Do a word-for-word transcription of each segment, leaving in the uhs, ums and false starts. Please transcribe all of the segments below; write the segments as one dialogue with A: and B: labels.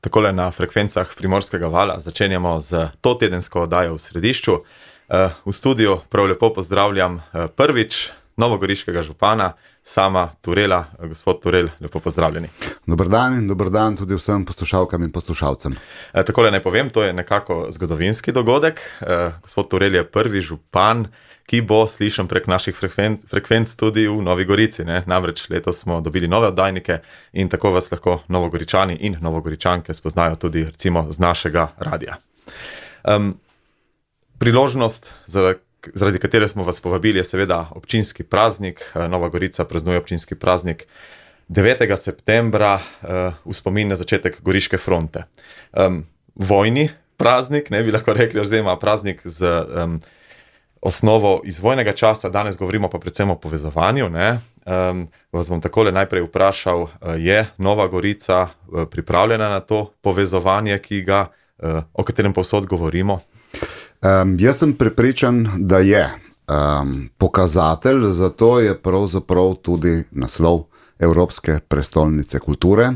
A: takole na frekvencah Primorskega vala začenjamo z to tedensko oddajo v središču. V studiu prav lepo pozdravljam prvič novogoriškega župana, Sama Turela. Gospod Turel, lepo pozdravljeni.
B: Dober dan in dober dan tudi vsem poslušalkam in poslušalcem.
A: Takole naj povem, to je nekako zgodovinski dogodek. Gospod Turel je prvi župan, ki bo slišan prek naših frekvenc, frekvenc tudi v Novi Gorici. Ne? Namreč letos smo dobili nove oddajnike in tako vas lahko Novogoričani in Novogoričanke spoznajo tudi recimo z našega radia. Um, priložnost, zaradi katere smo vas povabili, je seveda občinski praznik. Nova Gorica praznuje občinski praznik devetega septembra uh, v spomin na začetek Goriške fronte. Um, vojni praznik, ne bi lahko rekli, oziroma praznik z um, osnovo iz vojnega časa, danes govorimo pa predvsem o povezovanju. Ne? Um, vas bom takole najprej vprašal, je Nova Gorica uh, pripravljena na to povezovanje, ki ga, uh, o katerem povsod govorimo?
B: Um, jaz sem prepričan, da je um, pokazatelj, zato je pravzaprav tudi naslov Evropske prestolnice kulture,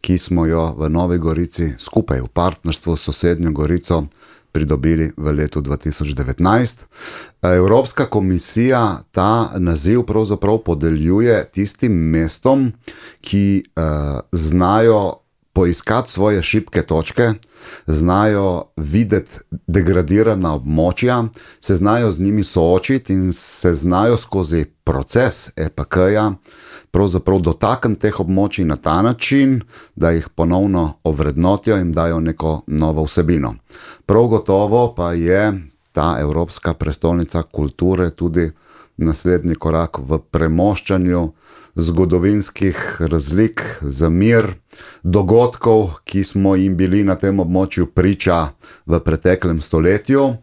B: ki smo jo v Novi Gorici skupaj v partnerstvu s sosednjo Gorico pridobili v letu dva tisoč devetnajst. Evropska komisija ta naziv pravzaprav podeljuje tistim mestom, ki uh, znajo poiskati svoje šibke točke, znajo videti degradirana območja, se znajo z njimi soočiti in se znajo skozi proces E P K-ja pravzaprav dotakniti teh območij na ta način, da jih ponovno ovrednotijo in dajo neko novo vsebino. Prav gotovo pa je ta Evropska prestolnica kulture tudi naslednji korak v premoščanju zgodovinskih razlik, zamir, dogodkov, ki smo jim bili na tem območju priča v preteklem stoletju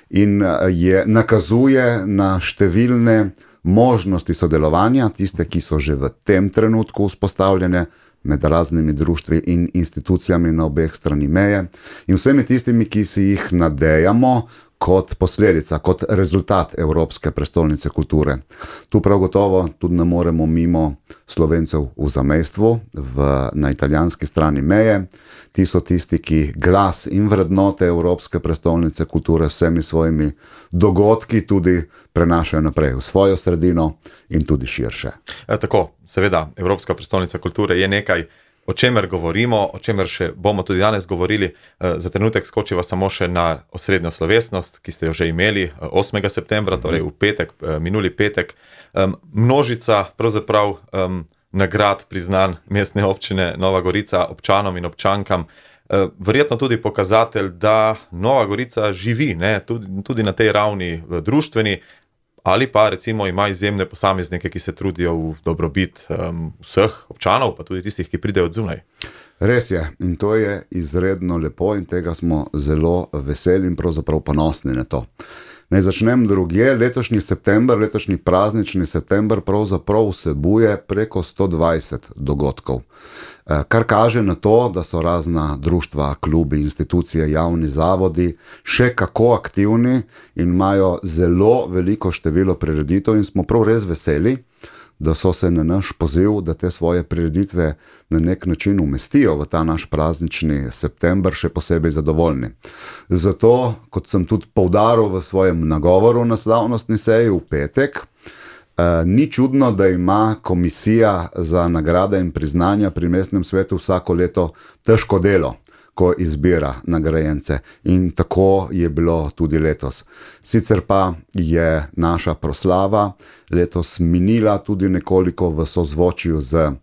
B: in je, nakazuje na številne možnosti sodelovanja, tiste, ki so že v tem trenutku vzpostavljene med raznimi društvi in institucijami na obeh strani meje in vsemi tistimi, ki si jih nadejamo kot posledica, kot rezultat Evropske prestolnice kulture. Tu prav gotovo tudi ne moremo mimo Slovencev v zamejstvu, v, na italijanski strani meje. Ti so tisti, ki glas in vrednote Evropske prestolnice kulture s vsemi svojimi dogodki tudi prenašajo naprej v svojo sredino in tudi širše.
A: E, tako, seveda, Evropska prestolnica kulture je nekaj, o čemer govorimo, o čemer še bomo tudi danes govorili. Za trenutek skočiva samo še na osrednjo slovesnost, ki ste jo že imeli osmega septembra, torej v petek, minuli petek. Množica pravzaprav nagrad priznan mestne občine Nova Gorica občanom in občankam. Verjetno tudi pokazatelj, da Nova Gorica živi, ne? Tudi, tudi na tej ravni društveni, ali pa recimo ima izjemne posameznike, ki se trudijo v dobrobit um, vseh občanov, pa tudi tistih, ki pridejo od zunaj.
B: Res je, in to je izredno lepo in tega smo zelo veseli in pravzaprav ponosni na to. Naj začnem drugje. Letošnji september, letošnji praznični september pravzaprav vsebuje preko sto dvajset dogodkov, kar kaže na to, da so razna društva, klubi, institucije, javni zavodi še kako aktivni in imajo zelo veliko število prireditev in smo prav res veseli, da so se na naš poziv, da te svoje prireditve na nek način umestijo v ta naš praznični september, še posebej zadovoljni. Zato, kot sem tudi poudaril v svojem nagovoru na slavnostni seji v petek, eh, ni čudno, da ima komisija za nagrade in priznanja pri mestnem svetu vsako leto težko delo, ko izbira nagrajence. In tako je bilo tudi letos. Sicer pa je naša proslava letos minila tudi nekoliko v sozvočju z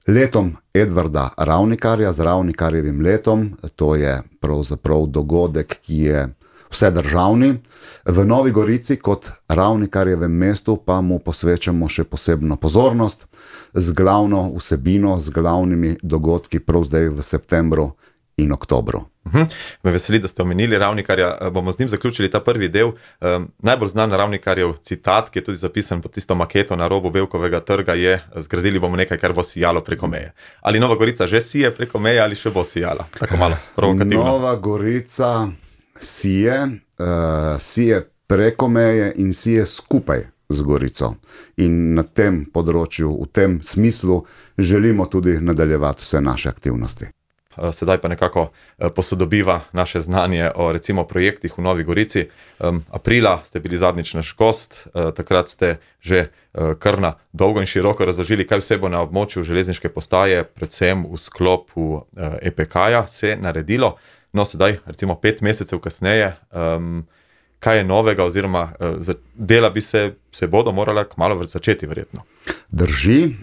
B: letom Edvarda Ravnikarja, z Ravnikarjevim letom. To je pravzaprav dogodek, ki je vsedržavni. V Novi Gorici kot Ravnikarjevem mestu pa mu posvečamo še posebno pozornost z glavno vsebino, z glavnimi dogodki prav zdaj v septembru in oktobru.
A: Uhum. Me veseli, da ste omenili Ravnikarja. Bomo z njim zaključili ta prvi del. Um, najbolj znan Ravnikarjev citat, ki je tudi zapisan pod tisto maketo na robu Bevkovega trga, je: zgradili bomo nekaj, kar bo sijalo preko meje. Ali Nova Gorica že sije preko meje ali še bo sijala? Tako malo provokativno.
B: Nova Gorica sije, uh, sije preko meje in sije skupaj z Gorico. In na tem področju, v tem smislu želimo tudi nadaljevati vse naše aktivnosti.
A: sedaj pa nekako posodobiva naše znanje o recimo projektih v Novi Gorici. Aprila ste bili zadnjič naš gost, takrat ste že kar na dolgo in široko razložili, kaj vse bo na območju železniške postaje, predvsem v sklopu E P K-ja se naredilo. No, sedaj, recimo pet mesecev kasneje, um, kaj je novega, oziroma uh, dela bi se, se bodo morala kmalu začeti, verjetno.
B: Drži,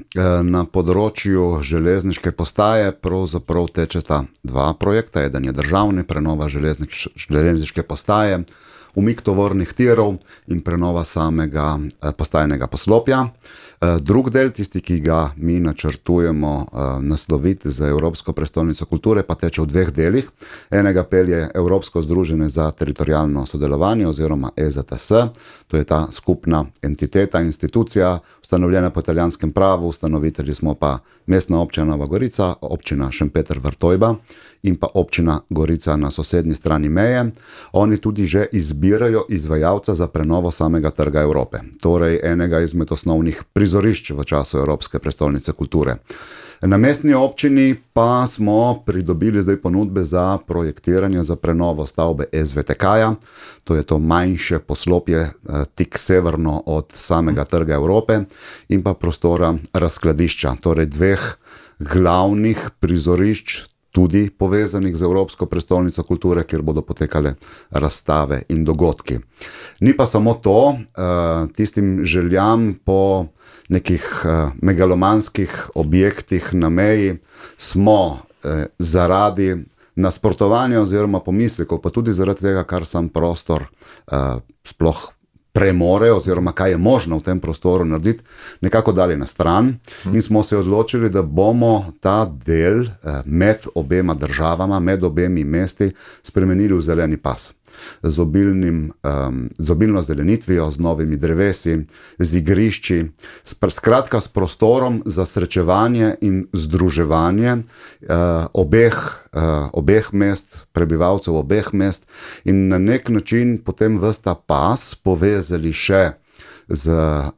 B: na področju železniške postaje pravzaprav tečeta dva projekta. Eden je državni, prenova železniš, železniške postaje, umik tovornih tirov in prenova samega postajnega poslopja. Drug del, tisti, ki ga mi načrtujemo nasloviti za Evropsko prestolnico kulture, pa teče v dveh delih. Enega pelje Evropsko združenje za teritorijalno sodelovanje oziroma E Z T S, to je ta skupna entiteta, institucija, ustanovljena po italijanskem pravu, ustanovitelji smo pa Mestna občina Nova Gorica, občina Šempeter Vrtojba in pa občina Gorica na sosednji strani meje. Oni tudi že izbirajo izvajalca za prenovo samega trga Evrope, torej enega izmed osnovnih prizorišč v času Evropske prestolnice kulture. Na mestni občini pa smo pridobili zdaj ponudbe za projektiranje za prenovo stavbe S V T K-ja, to je to manjše poslopje tik severno od samega trga Evrope in pa prostora razkladišča, torej dveh glavnih prizorišč, tudi povezanih z Evropsko prestolnico kulture, kjer bodo potekale razstave in dogodki. Ni pa samo to, tistim željam po nekih megalomanskih objektih na meji smo zaradi nasprotovanja oziroma pomislekov, pa tudi zaradi tega, kar sam prostor sploh premore oziroma kaj je možno v tem prostoru narediti, nekako dali na stran in smo se odločili, da bomo ta del med obema državama, med obemi mesti spremenili v zeleni pas. Z, obilnim, um, z obilno zelenitvijo, z novimi drevesi, z igrišči, skratka s prostorom za srečevanje in združevanje uh, obeh, uh, obeh mest, prebivalcev obeh mest in na nek način potem ves ta pas povezali še z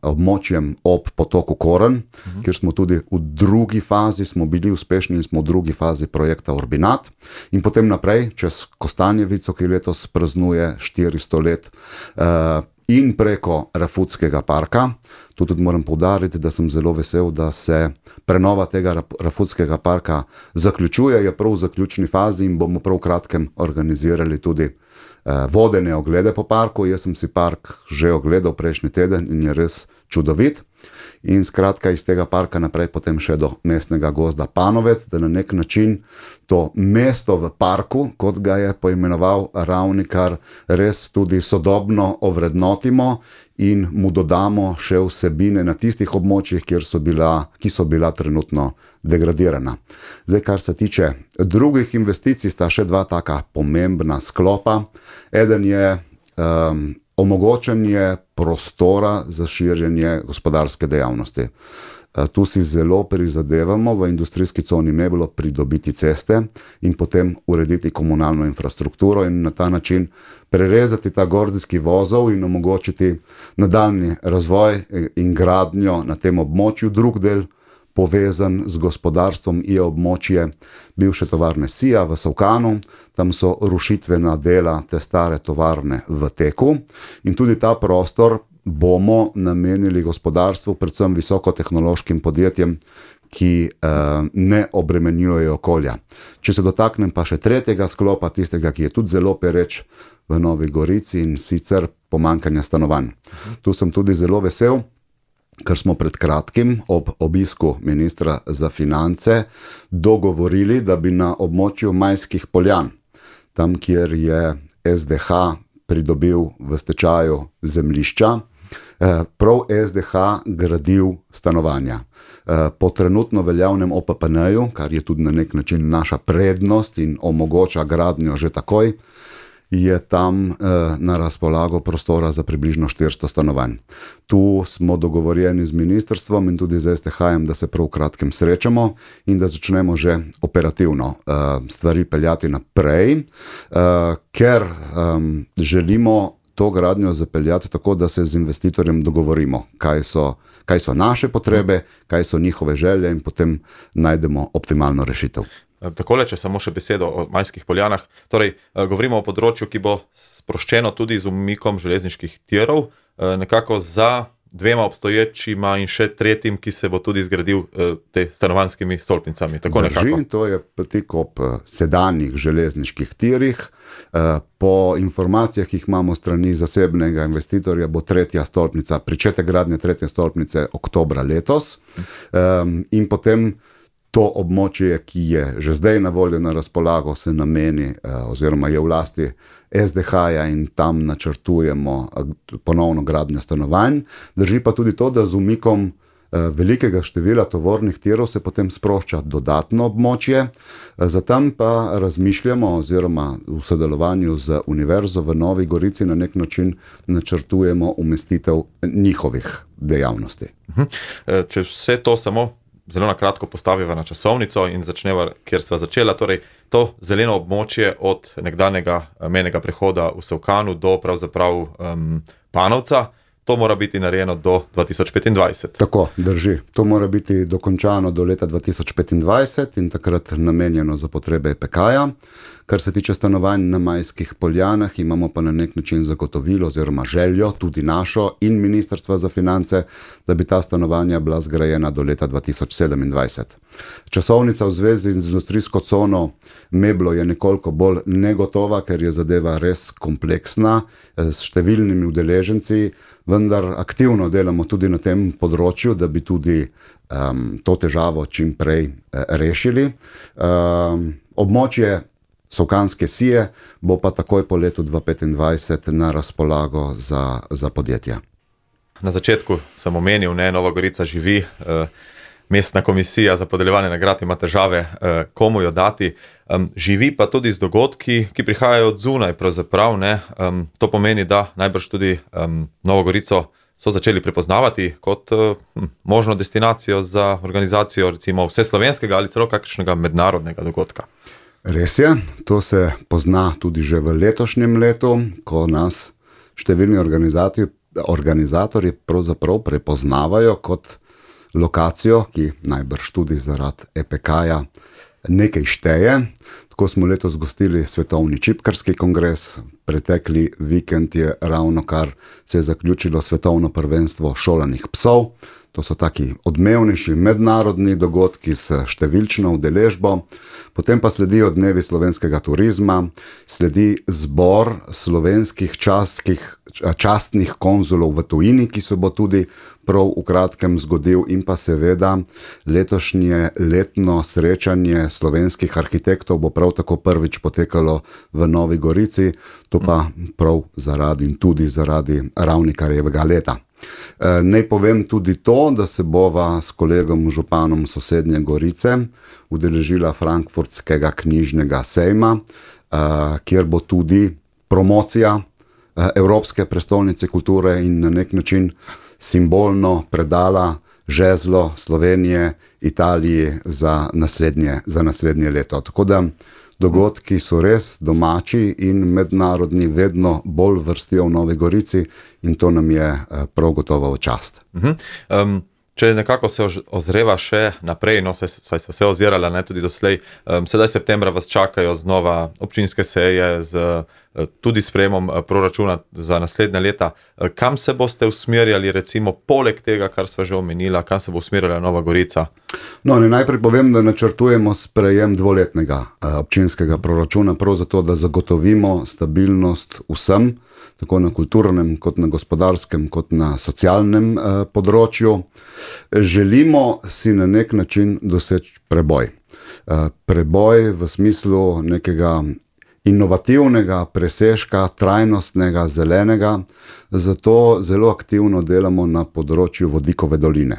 B: območjem ob potoku Koren, uh-huh. kjer smo tudi v drugi fazi, smo bili uspešni in smo v drugi fazi projekta Urbinat in potem naprej čez Kostanjevico, ki letos praznuje štiristo let uh, in preko Rafutskega parka. Tu tudi moram poudariti, da sem zelo vesel, da se prenova tega Rafutskega parka zaključuje, je prav v zaključni fazi in bomo prav v kratkem organizirali tudi vodene oglede po parku. Jaz sem si park že ogledal prejšnji teden in je res čudovit. In skratka iz tega parka naprej potem še do mestnega gozda Panovec, da na nek način to mesto v parku, kot ga je poimenoval Ravnikar, res tudi sodobno ovrednotimo in mu dodamo še vsebine na tistih območjih, kjer so bila, ki so bila trenutno degradirana. Zdaj, kar se tiče drugih investicij, sta še dva taka pomembna sklopa. Eden je um, omogočanje prostora za širjenje gospodarske dejavnosti. Tu si zelo prizadevamo v industrijski coni Meblo pridobiti ceste in potem urediti komunalno infrastrukturo in na ta način prerezati ta gordijski vozov in omogočiti nadaljnji razvoj in gradnjo na tem območju. Drug del povezan z gospodarstvom je območje bivše tovarne Sija v Solkanu. Tam so rušitvena dela te stare tovarne v teku in tudi ta prostor bomo namenili gospodarstvu, predvsem visokotehnološkim podjetjem, ki eh, ne obremenjujejo okolja. Če se dotaknem pa še tretjega sklopa, tistega, ki je tudi zelo pereč v Novi Gorici in sicer pomanjkanja stanovanj. Tu sem tudi zelo vesel, ker smo pred kratkim ob obisku ministra za finance dogovorili, da bi na območju Majskih Poljan, tam kjer je S D H pridobil v stečaju zemljišča, prav S D H gradil stanovanja. Po trenutno veljavnem O P P N-ju, kar je tudi na nek način naša prednost in omogoča gradnjo že takoj, je tam eh, na razpolago prostora za približno štiristo stanovanj. Tu smo dogovorjeni z ministrstvom in tudi z S T H-jem, da se prav v kratkem srečamo in da začnemo že operativno eh, stvari peljati naprej, eh, ker eh, želimo to gradnjo zapeljati tako, da se z investitorjem dogovorimo, kaj so, kaj so naše potrebe, kaj so njihove želje in potem najdemo optimalno rešitev.
A: takole, če samo še besedo o Majskih Poljanah. Torej, govorimo o področju, ki bo sproščeno tudi z umikom železniških tirov, nekako za dvema obstoječima in še tretjim, ki se bo tudi zgradil te stanovanjskimi stolpnicami. Tako
B: Drži,
A: nekako.
B: to je tik ob sedanjih železniških tirih. Po informacijah, ki jih imamo strani zasebnega investitorja, bo tretja stolpnica, pričetek gradnje tretje stolpnice oktobra letos. In potem to območje, ki je že zdaj na voljo na razpolago, se nameni oziroma je v lasti S D H-ja in tam načrtujemo ponovno gradnjo stanovanj. Drži pa tudi to, da z umikom velikega števila tovornih tirov se potem sprošča dodatno območje. Zatem pa razmišljamo oziroma v sodelovanju z Univerzo v Novi Gorici na nek način načrtujemo umestitev njihovih dejavnosti.
A: Če vse to samo zelo na kratko postaviva na časovnico in začneva, kjer sva začela, torej to zeleno območje od nekdanjega mejnega prehoda v Sevkanu do pravzaprav um, Panovca, to mora biti narejeno do dva tisoč petindvajset.
B: Tako, drži. To mora biti dokončano do leta dva tisoč petindvajset in takrat namenjeno za potrebe E P K-ja. Kar se tiče stanovanj na Majskih Poljanah, imamo pa na nek način zagotovilo oziroma željo, tudi našo in Ministrstva za finance, da bi ta stanovanja bila zgrajena do leta dva tisoč sedemindvajset. Časovnica v zvezi z industrijsko cono Meblo je nekoliko bolj negotova, ker je zadeva res kompleksna, s številnimi udeleženci, vendar aktivno delamo tudi na tem področju, da bi tudi um, to težavo čim prej uh, rešili. Um, območje Sevkanske sije bo pa takoj po letu dva tisoč petindvajset na razpolago za, za podjetja.
A: Na začetku sem omenil, ne, Nova Gorica živi, eh, mestna komisija za podeljevanje nagrad ima težave, eh, komu jo dati. Um, živi pa tudi z dogodki, ki prihajajo od zunaj pravzaprav, ne. Um, to pomeni, da najbrž tudi um, Novo Gorico so začeli prepoznavati kot uh, možno destinacijo za organizacijo recimo vseslovenskega ali celo kakšnega mednarodnega dogodka.
B: Res je, to se pozna tudi že v letošnjem letu, ko nas številni organizatorji, organizatorji pravzaprav prepoznavajo kot lokacijo, ki najbrž tudi zaradi E P K-ja nekaj šteje. Tako smo letos gostili Svetovni čipkarski kongres, pretekli vikend je ravno kar se je zaključilo svetovno prvenstvo šolanih psov. To so taki odmevnejši mednarodni dogodki s številčno udeležbo, potem pa sledijo dnevi slovenskega turizma, sledi zbor slovenskih častnih, častnih konzulov v tujini, ki se bo tudi prav v kratkem zgodil, in pa seveda letošnje letno srečanje slovenskih arhitektov bo prav tako prvič potekalo v Novi Gorici, to pa prav zaradi in tudi zaradi Ravnikarjevega leta. Naj povem tudi to, da se bova s kolegom županom sosednje Gorice udeležila Frankfurtskega knjižnega sejma, kjer bo tudi promocija Evropske prestolnice kulture in na nek način simbolno predala žezlo Slovenije Italiji za naslednje, za naslednje leto. Tako da dogodki so res domači in mednarodni, vedno bolj vrstijo v Novi Gorici in to nam je prav gotovo v čast.
A: Uh-huh. Um, če nekako se ozreva še naprej, no, saj, saj so se ozirala, ne, tudi doslej, um, sedaj septembra vas čakajo znova občinske seje z tudi sprejemom proračuna za naslednja leta. Kam se boste usmerjali, recimo, poleg tega, kar sva že omenila, kam se bo usmerjala Nova Gorica?
B: No, ne, najprej povem, da načrtujemo sprejem dvoletnega občinskega proračuna, prav zato, da zagotovimo stabilnost vsem, tako na kulturnem, kot na gospodarskem, kot na socialnem eh, področju. Želimo si na nek način doseči preboj. Eh, preboj v smislu nekega inovativnega presežka, trajnostnega, zelenega, zato zelo aktivno delamo na področju vodikove doline,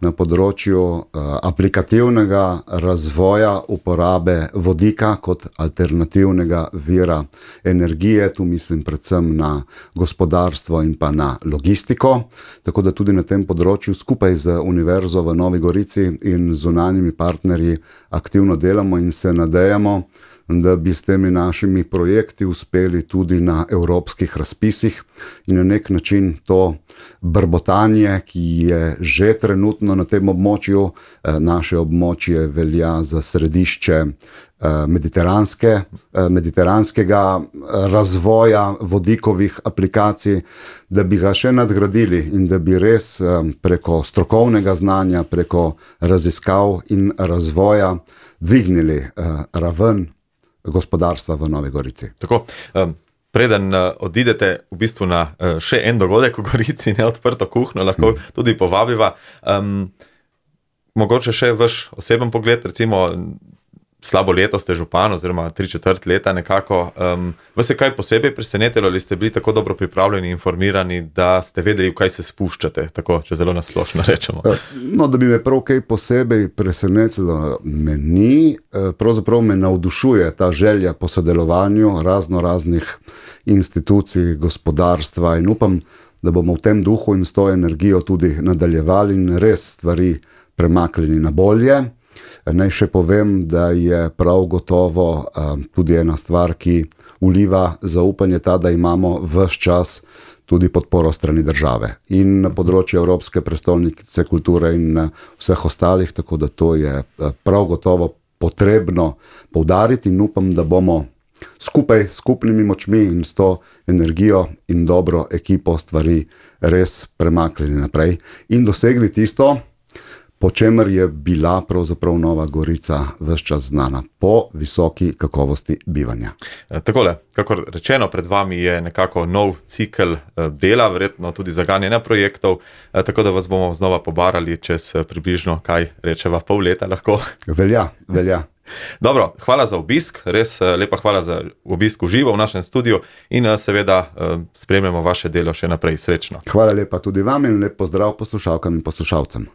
B: na področju uh, aplikativnega razvoja uporabe vodika kot alternativnega vira energije, tu mislim predvsem na gospodarstvo in pa na logistiko, tako da tudi na tem področju skupaj z Univerzo v Novi Gorici in zunanjimi partnerji aktivno delamo in se nadejamo, da bi s temi našimi projekti uspeli tudi na evropskih razpisih in na nek način to brbotanje, ki je že trenutno na tem območju, naše območje velja za središče mediteranske, mediteranskega razvoja vodikovih aplikacij, da bi ga še nadgradili in da bi res preko strokovnega znanja, preko raziskav in razvoja dvignili raven gospodarstva v Novi Gorici.
A: Tako, um, preden uh, odidete v bistvu na uh, še en dogodek v Gorici, ne odprto kuhno, lahko mm. tudi povabiva. Um, mogoče še vaš oseben pogled, recimo slabo leto ste župan oziroma tri četrt leta nekako. Um, vas je kaj posebej presenetilo ali ste bili tako dobro pripravljeni, informirani, da ste vedeli, v kaj se spuščate, tako, če zelo nasplošno rečemo?
B: No, da bi me prav kaj posebej presenetilo, me ni. Pravzaprav me navdušuje ta želja po sodelovanju razno raznih institucij, gospodarstva in upam, da bomo v tem duhu in s to energijo tudi nadaljevali in res stvari premaknili na bolje. Naj še povem, da je prav gotovo um, tudi ena stvar, ki vliva zaupanje ta, da imamo ves čas tudi podporo strani države in na področju Evropske prestolnice kulture in vseh ostalih, tako da to je prav gotovo potrebno poudariti in upam, da bomo skupaj s skupnimi močmi in s to energijo in dobro ekipo stvari res premaknili naprej in dosegli tisto, po čemer je bila pravzaprav Nova Gorica ves čas znana, po visoki kakovosti bivanja.
A: Takole, kakor rečeno, pred vami je nekako nov cikel dela, verjetno tudi zaganjanja projektov, tako da vas bomo znova pobarali čez približno, kaj rečeva, pol leta lahko.
B: Velja, velja.
A: Dobro, hvala za obisk, res lepa hvala za obisk v živo v našem studiu in seveda spremljamo vaše delo še naprej. Srečno.
B: Hvala lepa tudi vam in lep pozdrav poslušalkam in poslušalcem.